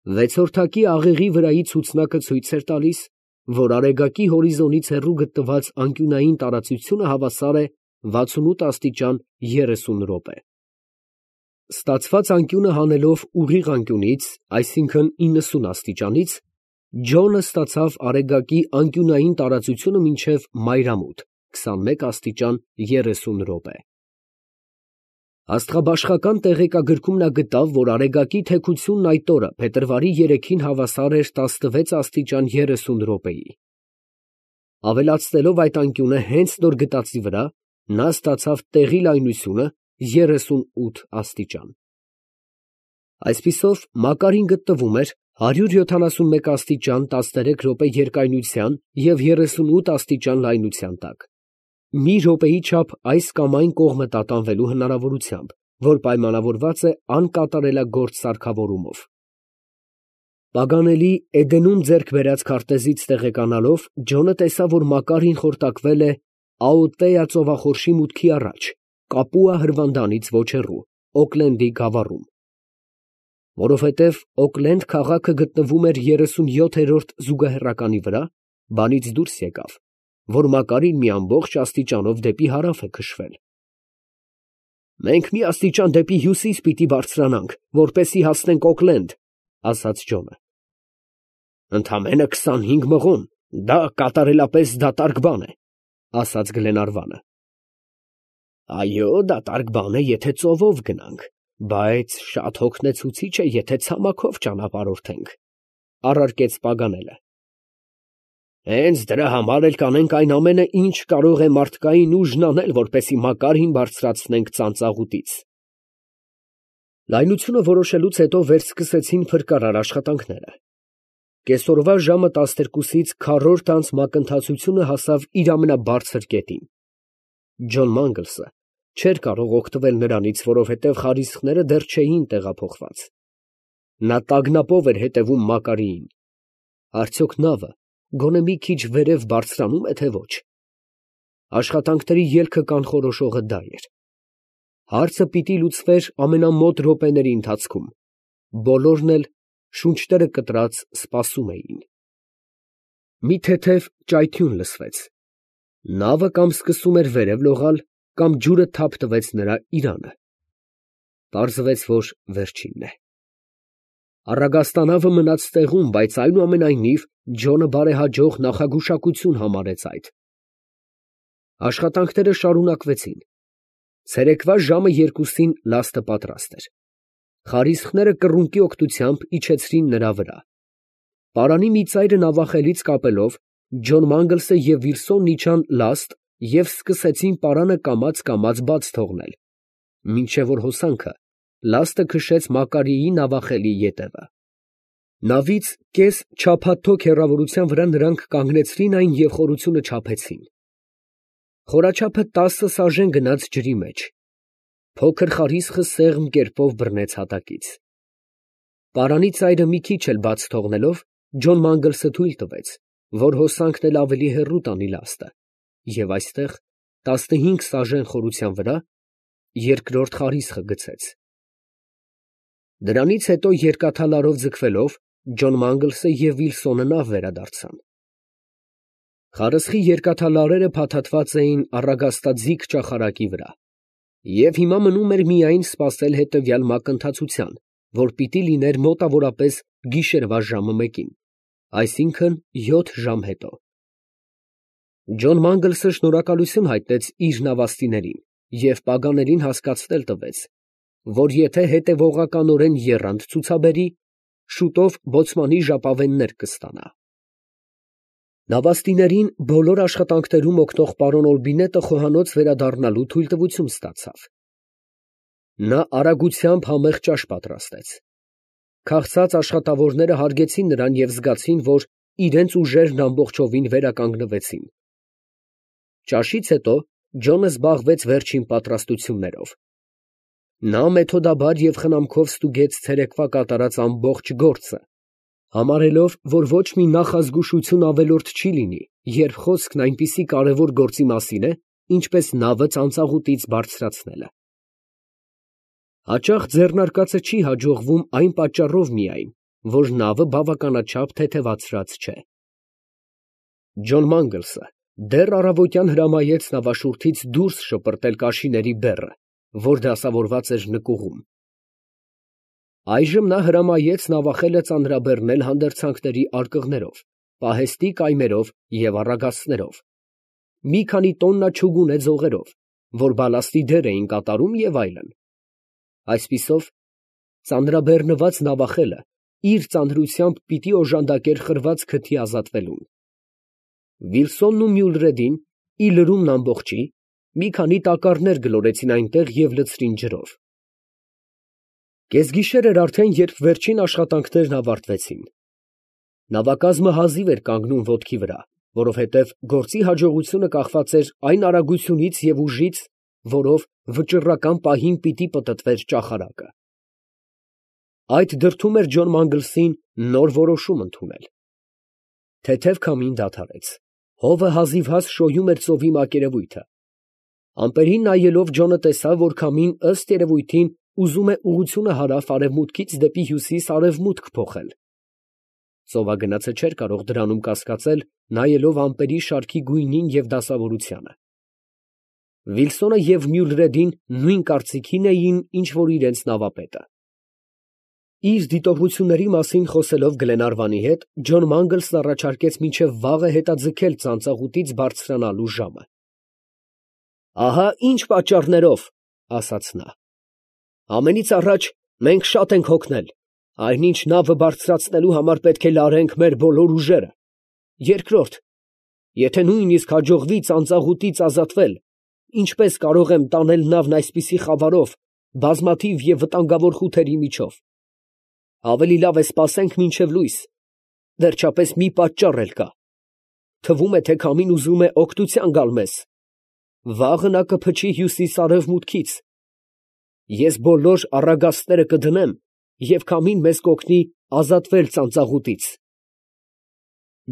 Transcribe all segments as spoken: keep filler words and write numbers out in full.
Վեցորդակի աղեղի վրայի ցուցնակը ցույց էր տալիս, որ Արեգակի հորիզոնից հեռու գտնված անկյունային տարածությունը հավասար է վաթսունութ աստիճան երեսուն րոպե։ Ստացված անկյունը հանելով ուղիղ անկյունից, այսինքն իննսուն աստիճանից, Ջոնը ստացավ Արեգակի անկյունային տարածությունը մինչև մայրամուտ քսանմեկ աստիճան երեսուն րոպե։ Աստղաբաշխական տեղեկագրքում նա գտավ, որ Արեգակի թեքությունն այդ օրը փետրվարի երեքին հավասար էր տասնվեց աստիճան երեսուն րոպեի։ Ավելացնելով այդ անկյունը հենց նոր գտածի վրա, նա ստացավ տեղի լայնությունը երեսունութ աստիճան։ Այսպիսով Մակարին գտնվում էր հարյուր յոթանասունմեկ աստիճան տասներեք րոպե երկայնության և երեսունութ աստիճան լայնության տակ, մի րոպեի չափ այս կամ այն կողմը տատանվելու հնարավորությամբ, որ պայմանավորված է անկատարելագործ սարքավորումով։ Պագանելի Էդենում ձեռք բերած քարտեզից տեղեկանալով, Ջոնը տեսավ, որ Մակարին խորտակվել է Աուտեա ծովախորշի մուտքի առաջ, Կապուա հրվանդանից ոչ հեռու, Օքլենդի գավառում։ Որովհետև Օքլենդ քաղաքը գտնվում էր երեսունյոթերորդ զուգահեռականի վրա, բանից դուրս եկավ, որ Մակարին մի ամբողջ աստիճանով դեպի հարավ է քշվել։ «Մենք մի աստիճան դեպի հյուսիս պիտի բարձրանանք, որպեսզի հասնենք Օքլենդ», ֊ ասաց Ջոնը։ ֊ Ընդամենը քսանհինգ մղոն, դա կատարելապես դատարկ բան է, ֊ ասաց Գլենարվանը։ ֊ Այո, դատարկ բան է, եթե ծովով գնանք, բայց շատ հոգնեցուցիչ է, եթե ցամաքով ճանապարհորդենք, ֊ առարկեց Պագանելը։ ֊ Հենց դրա համար էլ կանենք այն ամենը, ինչ կարող է մարդկային ուժն անել, որպեսզի Մակարին բարձրացնենք ծանծաղուտից։ Լայնությունը որոշելուց հետո վերսկսեցին փրկարար աշխատանքները։ Կեսօրվա ժամը տասներկուսից քառորդ անց մակընթացությունը հասավ իր ամենաբարձր կետին։ Ջոն Մանգլսը չէր կարող օգտվել նրանից, որովհետև խարիսխները դեռ չէին տեղափոխված։ Նա տագնապով էր հետևում Մակարիին։ Արդյոք նավը գոնե մի քիչ վերև բարձրանում է, թե ոչ։ Աշխատանքների ելքը կանխորոշողը դա էր։ Հարցը պիտի լուծվեր ամենամոտ րոպեների ընթացքում։ Բոլորն էլ շունչները կտրած սպասում էին։ Մի թեթև ճայթյուն լսվեց։ Նավը կամ սկսում էր վերև լողալ, կամ ջուրը թափ տվեց նրա իրանը։ Պարզվեց, որ վերջինն է։ Առագաստանավը մնաց տեղում, բայց այնուամենայնիվ Ջոնը բարեհաջող նախագուշակություն համարեց այդ։ Աշխատանքները շարունակվեցին։ Ցերեկվա ժամը երկուսին լաստը պատրաստ էր։ Խարիսխները կռունկի օգնությամբ իջեցրին նրա վրա։ Պարանի մի ծայրը նավախելից կապելով, Ջոն Մանգլսը և Վիլսոնն իջան լաստ և սկսեցին պարանը կամաց֊կամաց բաց թողնել, մինչև որ հոսանքը լաստը քշեց Մակարիի նավախելի ետևը։ Նավից կես չափաթոք հեռավորության վրա նրանք կանգնեցրին այն և խորությունը չափեցին։ Խորաչափը տասը սաժեն գնաց ջրի մեջ։ Փոքր խարիսխը սեղմ կերպով բռնեց հատակից։ Պարանի ծայրը մի քիչ էլ բաց թողնելով, Ջոն Մանգլսը թույլ տվեց, որ հոսանքն էլ ավելի հեռու տանի լաստը, և այստեղ, տասնհինգ սաժեն խորության վրա, երկրորդ խարիսխը գցեց։ Դրանից հետո երկաթալարով ձգվելով, Ջոն Մանգլսը և Վիլսոնը նավ վերադարձան։ Խարսխի երկաթալարերը փաթաթված էին առագաստաձիգ ճախարակի վրա, և հիմա մնում էր միայն սպասել հետևյալ մակընթացության, որ պիտի լիներ մոտավորապես գիշերվա ժամը մեկին, այսինքն յոթ ժամ հետո։ Ջոն Մանգլսը շնորհակալություն հայտնեց իր նավաստիներին և պագաներին հասկացնել տվեց, որ եթե հետևողականորեն եռանդ ցուցաբերի, շուտով բոցմանի ժապավեններ կստանա։ Նավաստիներին բոլոր աշխատանքներում օգնող պարոն Օլբինետը խոհանոց վերադառնալու թույլտվություն ստացավ։ Նա արագությամբ համեղ ճաշ պատրաստեց։ Քաղցած աշխատավորները հարգեցին նրան և զգացին, որ իրենց ուժերն ամբողջովին վերականգնվեցին։ Ճաշից հետո Ջոնը զբաղվեց վերջին պատրաստություններով։ Նա մեթոդաբար և խնամքով ստուգեց ցերեկվա կատարած ամբողջ գործը, համարելով, որ ոչ մի նախազգուշություն ավելորդ չի լինի, երբ խոսքն այնպիսի կարևոր գործի մասին է, ինչպես նավը ծանծաղուտից բարձրացնելը։ Հաճախ ձեռնարկածը չի հաջողվում այն պատճառով միայն, որ նավը բավականաչափ թեթևացրած չէ։ Ջոն Մանգլսը դեռ առավոտյան հրամայեց նավաշուրթից դուրս շպրտել կաշիների բեռը, որ դասավորված էր նկուղում։ Այժմ նա հրամայեց նավախելը ծանրաբեռնել հանդերձանքների արկղներով, պահեստի կայմերով և առագաստներով, մի քանի տոննա չուգունե ձողերով, որ բալաստի դեր էին կատարում և այլն։ Այսպիսով, ծանրաբեռնված նավախելը իր ծանրությամբ պիտի օժանդակեր խրված քթի ազատվելուն։ Վիլսոնն ու Մյուլրեդին, ի լրումն ամբողջի, մի քանի տակառներ գլորեցին այնտեղ և լցրին ջրով։ Կեսգիշեր էր արդեն, երբ վերջին աշխատանքներն ավարտվեցին։ Նավակազմը հազիվ էր կանգնում ոտքի վրա, որովհետև գործի հաջողությունը կախված էր այն արագությունից և ուժից, որով վճռական պահին պիտի պտտվեր ճախարակը։ Այդ դրդում էր Ջոն Մանգլսին նոր որոշում ընդունել։ Թեթև քամին դադարեց, հովը հազիվհազ շոյում էր ծովի մակերևույթը։ Ամպերին նայելով Ջոնը տեսավ, որ քամին ըստ երևույթին ուզում է ուղղությունը հարավ֊արևմուտքից դեպի հյուսիս֊արևմուտք փոխել։ Ծովագնացը չէր կարող դրանում կասկածել, նայելով ամպերի շարքի գույնին և դասավորությանը։ Վիլսոնը և Մյուլրեդին նույն կարծիքին էին, ինչ որ իրենց նավապետը։ Իր դիտողությունների մասին խոսելով Գլենարվանի հետ, Ջոն Մանգլսն առաջարկեց մինչև վաղը հետաձգել ծանծաղուտից բարձրանալու ժամը։ «Ահա ինչ պատճառներով, ֊ ասաց նա. ֊ ամենից առաջ մենք շատ ենք հոգնել, այնինչ նավը բարձրացնելու համար պետք է լարենք մեր բոլոր ուժերը. երկրորդ, եթե նույնիսկ հաջողվի ծանծաղուտից ազատվել, ինչպե՞ս կարող եմ տանել նավն այսպիսի խավարով, բազմաթիվ և վտանգավոր խութերի միջով. ավելի լավ է սպասենք մինչև լույս, վերջապես մի պատճառ էլ կա. թվում է, թե քամին ուզում է օգնության գալ մեզ. վաղը նա կփչի հյուսիս֊արևմուտքից. ես բոլոր առագաստները կդնեմ, և քամին մեզ կօգնի ազատվել ծանծաղուտից»։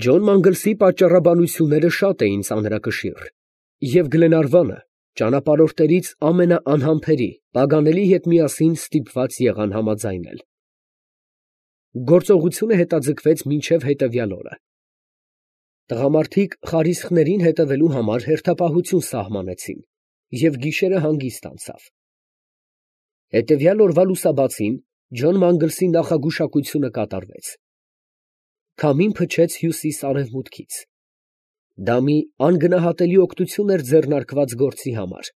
Ջոն Մանգլսի պատճառաբանությունները շատ էին ծանրակշիռ, և Գլենարվանը ճանապարհորդներից ամենաանհամբերի Պագանելի հետ միասին ստիպված եղան համաձայնել։ Գործողությունը հետաձգվեց մինչև հետևյալ օրը։ Տղամարդիկ խարիսխներին հետևելու համար հերթապահություն սահմանեցին, և գիշերը հանգիստ անցավ։ Հետևյալ օրվա լուսաբացին Ջոն Մանգլսի նախագուշակությունը կատարվեց։ Քամին փչեց հյուսիս֊արևմուտքից։ Դա մի անգնահատելի օգնություն էր ձեռնարկված գործի համար։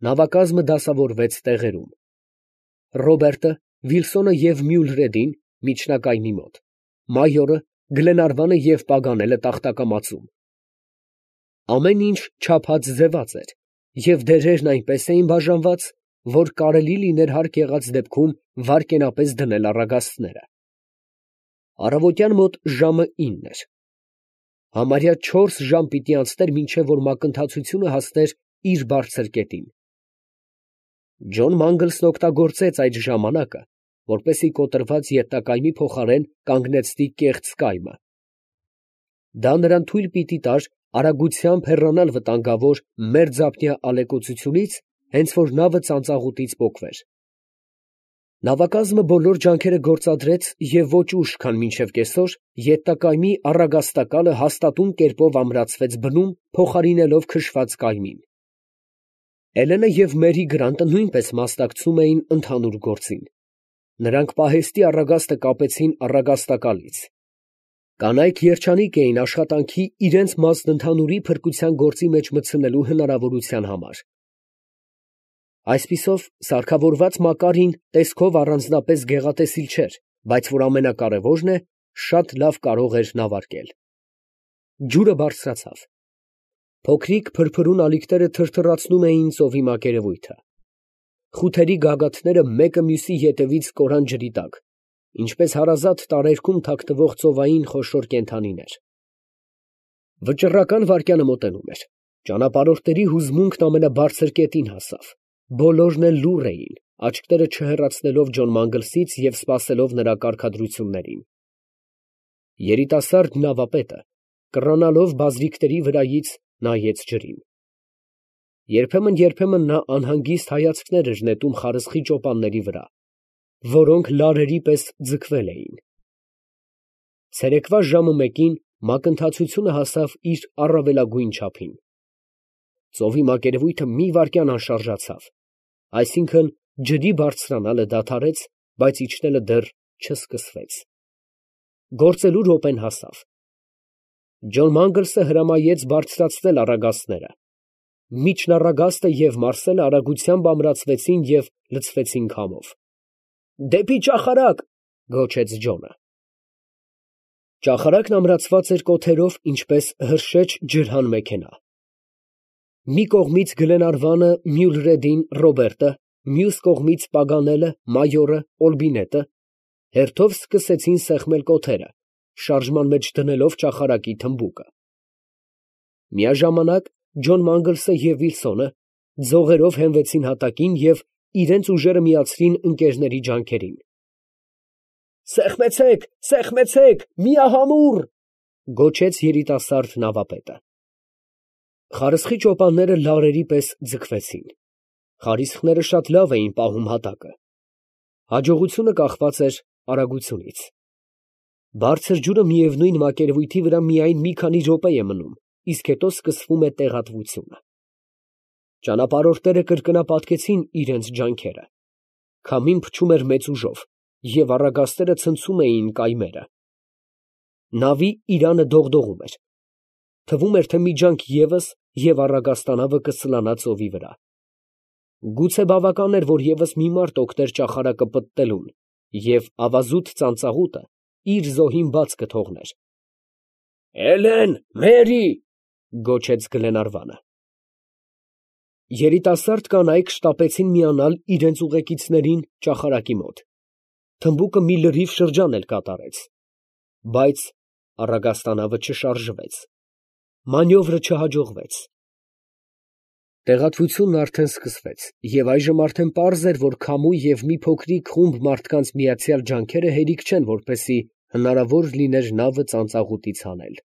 Նավակազմը դասավորվեց տեղերում։ Ռոբերտը, Վիլսոնը և Մյուլրեդին միջնակայմի մոտ, մայորը, Գլենարվանը և Պագանելը տախտակամածում։ Ամեն ինչ չափած ձևած էր, և դերերն այնպես էին բաժանված, որ կարելի լիներ հարկ եղած դեպքում վայրկենապես դնել առագաստները։ Առավոտյան մոտ ժամը ինն էր։ Համարյա չորս ժամ պիտի անցներ, մինչև որ մակընթացությունը հասներ իր բարձր կետին։ Ջոն Մանգլսն օգտագործեց այդ ժամանակը, որպեսզի կոտրված ետնակայմի փոխարեն կանգնեցնի կեղծ կայմը։ Դա նրան թույլ պիտի տար արագությամբ հեռանալ վտանգավոր մերձափնյա ալեկոծությունից, հենց որ նավը ծանծաղուտից պոկվեր։ Նավակազմը բոլոր ջանքերը գործադրեց և ոչ ուշ, քան մինչև կեսօր, ետնակայմի առագաստակալը հաստատուն կերպով ամրացվեց բնում, փոխարինելով քշված կայմին։ Էլենը և Մերի Գրանտը նույնպես մասնակցում էին ընդհանուր գործին։ Նրանք պահեստի առագաստը կապեցին առագաստակալից։ Կանայք երջանիկ էին աշխատանքի իրենց մասն ընդհանուրի փրկության գործի մեջ մտցնելու հնարավորության համար։ Այսպիսով, սարքավորված Մակարին տեսքով առանձնապես գեղատեսիլ չէր, բայց որ ամենակարևորն է, շատ լավ կարող էր նավարկել։ Ջուրը բարձրացավ։ Փոքրիկ փրփրուն ալիքները թրթռացնում էին ծովի մակերևույթը։ Խութերի գագաթները մեկը մյուսի ետևից կորան ջրի տակ, ինչպես հարազատ տարերքում թաքնվող ծովային խոշոր կենդանիներ։ Վճռական վայրկյանը մոտենում էր։ Ճանապարհորդների հուզմունքն ամենաբարձր կետին հասավ։ Բոլորն էլ լուռ էին, աչքերը չհեռացնելով Ջոն Մանգլսից և սպասելով նրա կարգադրություններին։ Երիտասարդ նավապետը, կռանալով բազրիքների վրայից, նայեց ջրին։ Երբեմն, երբեմն նա անհանգիստ հայացքներ էր նետում խարսխի ճոպանների վրա, որոնք լարերի պես ձգվել էին։ Ցերեկվա ժամը մեկին մակընթացությունը հասավ իր առավելագույն չափին։ Ծովի մակերևույթը մի վայրկյան անշարժացավ, այսինքն ջրի բարձրանալը դադարեց, բայց իջնելը դեռ չսկսվեց։ Գործելու րոպեն հասավ։ Ջոն Մանգլսը հրամայեց բարձրացնել առագաստները։ Միջն առագաստը և Մարսելը արագությամբ ամրացվեցին և լցվեցին քամով։ «Դեպի ճախարակ», գոչեց Ջոնը։ Ճախարակն ամրացված էր կոթերով, ինչպես հրշեջ ջրհան մեքենա։ Մի կողմից Գլենարվանը, Մյուլրեդին, Ռոբերտը, մյուս կողմից Պագանելը, Մայորը, Օլբինետը հերթով սկսեցին սեղմել կոթերը, շարժման մեջ դնելով ճախարակի թմբուկը։ Միաժամանակ Ջոն Մանգլսը և Վիլսոնը ձողերով հենվեցին հատակին և իրենց ուժերը միացրին ընկերների ջանքերին։ «Սեղմեցե՛ք, սեղմեցե՛ք, միահամուռ», գոչեց երիտասարդ նավապետը։ Խարսխի ճոպանները լարերի պես ձգվեցին։ Խարիսխները շատ լավ էին պահում հատակը։ Հաջողությունը կախված էր արագությունից։ Բարձր ջուրը միևնույն մակերևույթի վրա միայն մի քանի րոպե է մնում, իսկ հետո սկսվում է տեղատվությունը։ Ճանապարհորդները կրկնապատկեցին իրենց ջանքերը։ Քամին փչում էր մեծ ուժով, և առագաստերը ցնցում էին կայմերը։ Նավի իրանը դողդողում էր։ Թվում էր, թե մի ջանք ևս, և առագաստանավը կսլանա ծովի վրա։ Գուցե բավական էր, որ ևս մի մարդ օգներ ճախարակը պտտելուն, և ավազուտ ծանծաղուտը իր զոհին բաց կթողներ։ «Էլեն, Մերի», գոչեց Գլենարվանը։ Երիտասարդ կանայք շտապեցին միանալ իրենց ուղեկիցներին ճախարակի մոտ։ Թմբուկը մի լրիվ շրջան էլ կատարեց, բայց առագաստանավը չշարժվեց։ Մանյովրը չհաջողվեց։ Տեղատվությունն արդեն սկսվեց, և այժմ արդեն պարզ էր, որ քամու և մի փոքրիկ խումբ մարդկանց միացյալ ջանքերը հերիք չեն, որպեսզի հնարավոր լիներ նավը ծանծաղուտից հանել։